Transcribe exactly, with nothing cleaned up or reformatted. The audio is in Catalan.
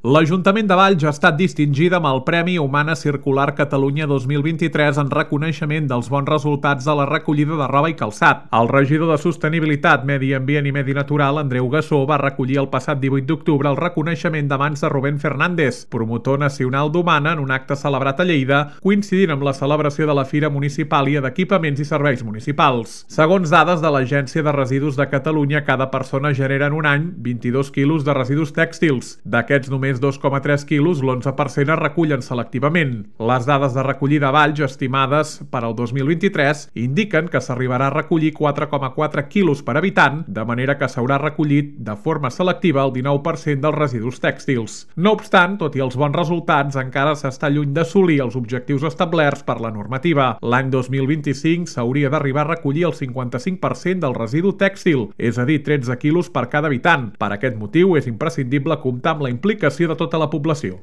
L'Ajuntament de Valls ha estat distingida amb el Premi Humana Circular Catalunya dos mil vint-i-tres en reconeixement dels bons resultats de la recollida de roba i calçat. El regidor de Sostenibilitat, Medi Ambient i Medi Natural, Andreu Gassó, va recollir el passat divuit d'octubre el reconeixement de mans de Rubén Fernández, promotor nacional d'Humana, en un acte celebrat a Lleida, coincidint amb la celebració de la Fira Municipàlia d'Equipaments i Serveis Municipals. Segons dades de l'Agència de Residus de Catalunya, cada persona genera en un any vint-i-dos quilos de residus tèxtils. D'aquests, només dos coma tres quilos, l'onze per cent es recullen selectivament. Les dades de recollida a Valls, estimades per al dos mil vint-i-tres, indiquen que s'arribarà a recollir quatre coma quatre quilos per habitant, de manera que s'haurà recollit de forma selectiva el dinou per cent dels residus tèxtils. No obstant, tot i els bons resultats, encara s'està lluny d'assolir els objectius establerts per la normativa. L'any dos mil vint-i-cinc s'hauria d'arribar a recollir el cinquanta-cinc per cent del residu tèxtil, és a dir, tretze quilos per cada habitant. Per aquest motiu, és imprescindible comptar amb la implicació de tota la població.